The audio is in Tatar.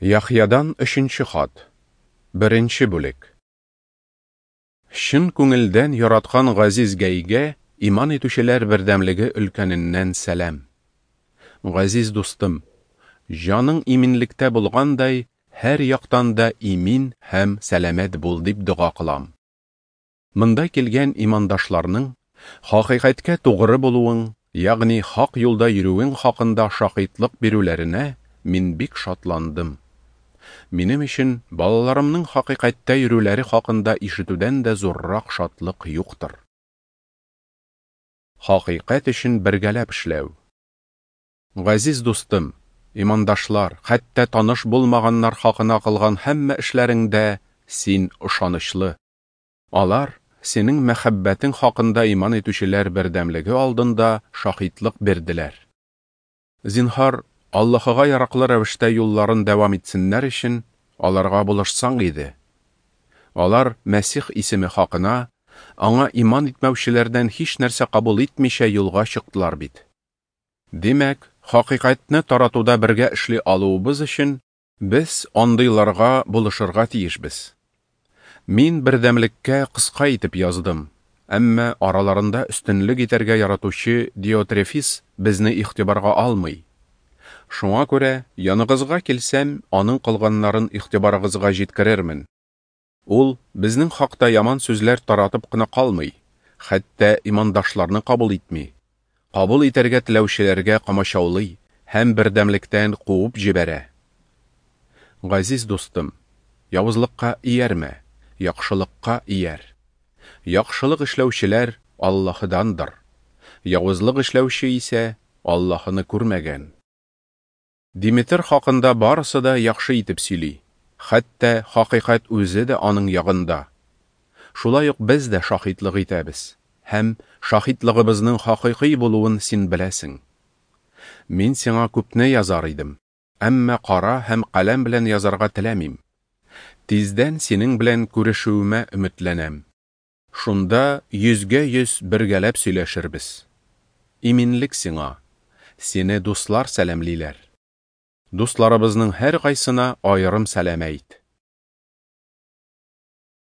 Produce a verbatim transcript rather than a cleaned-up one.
Яхъядан өченче хат. Беренче бүлек. Чын күңелдән яраткан газиз Гәйгә иман итүчеләр бердәмлеге өлкәненнән сәлам. Газиз дустым, җаның иминлектә булгандай, һәр яктан да имин һәм сәламәт бул дип дога кылам. Монда килгән имандашларның хакыйкатькә тугры булуың, ягъни хак юлда йөрүең хакында шаһитлык бирүләренә мин бик шатландым. Минем өчен балаларымның хакыйкатьтә йөрүләре хакында ишетүдән дә зуррак шатлык юктыр. Хакыйкать өчен бергәләп эшләү. Газиз дустым, имандашлар, хәтта таныш булмаганнар хакына кылган һәммә эшләреңдә син ышанычлы. Алар синең мәхәббәтең хакында иман итүчеләр бердәмлеге алдында шаһитлык бирделәр. Зинһар, Аллаһыга яраклы рәвештә юлларын дәвам итсеннәр өчен аларга булышсаң иде. Алар Мәсих исеме хакына аңа иман итмәүчеләрдән һич нәрсә кабул итмичә юлга чыктылар бит. Димәк, хакыйкатьне таратуда бергә эшли алуыбыз өчен без андыйларга булышырга тиешбез. Мин бердәмлеккә кыска итеп яздым, әмма араларында өстенлек итәргә яратучы Диотрефис безне игътибарга алмый. Шуңа күрә, яныгызга килсәм, аның кылганнарын игътибарыгызга җиткерермен. Ул безнең хакта яман сүзләр таратып кына калмый, хәтта имандашларны кабул итми. Кабул итәргә теләүчеләргә комачаулый һәм бердәмлектән куып җибәрә. Газиз дустым, явызлыкка иярмә, яхшылыкка ияр. Яхшылык эшләүчеләр Аллаһыдандыр. Явызлык эшләүче исә Аллаһыны күрмәгән. Димитр хакында барысы да яхшы итеп сөйли, хәтта хакыйкать үзе дә аның ягында. Шулай ук без дә шаһитлык итәбез, һәм шаһитлыгыбызның хакыйкый булуын син беләсең. Мин сиңа күпне язар идем, әмма кара һәм каләм белән язарга теләмим. Тиздән синең белән күрешүемә өметләнәм. Шунда йөзгә йөз бергәләп сөйләшербез. Иминлек сиңа. Сине дуслар сәламлиләр. Дусларыбызның һәр кайсына аерым сәлам әйт.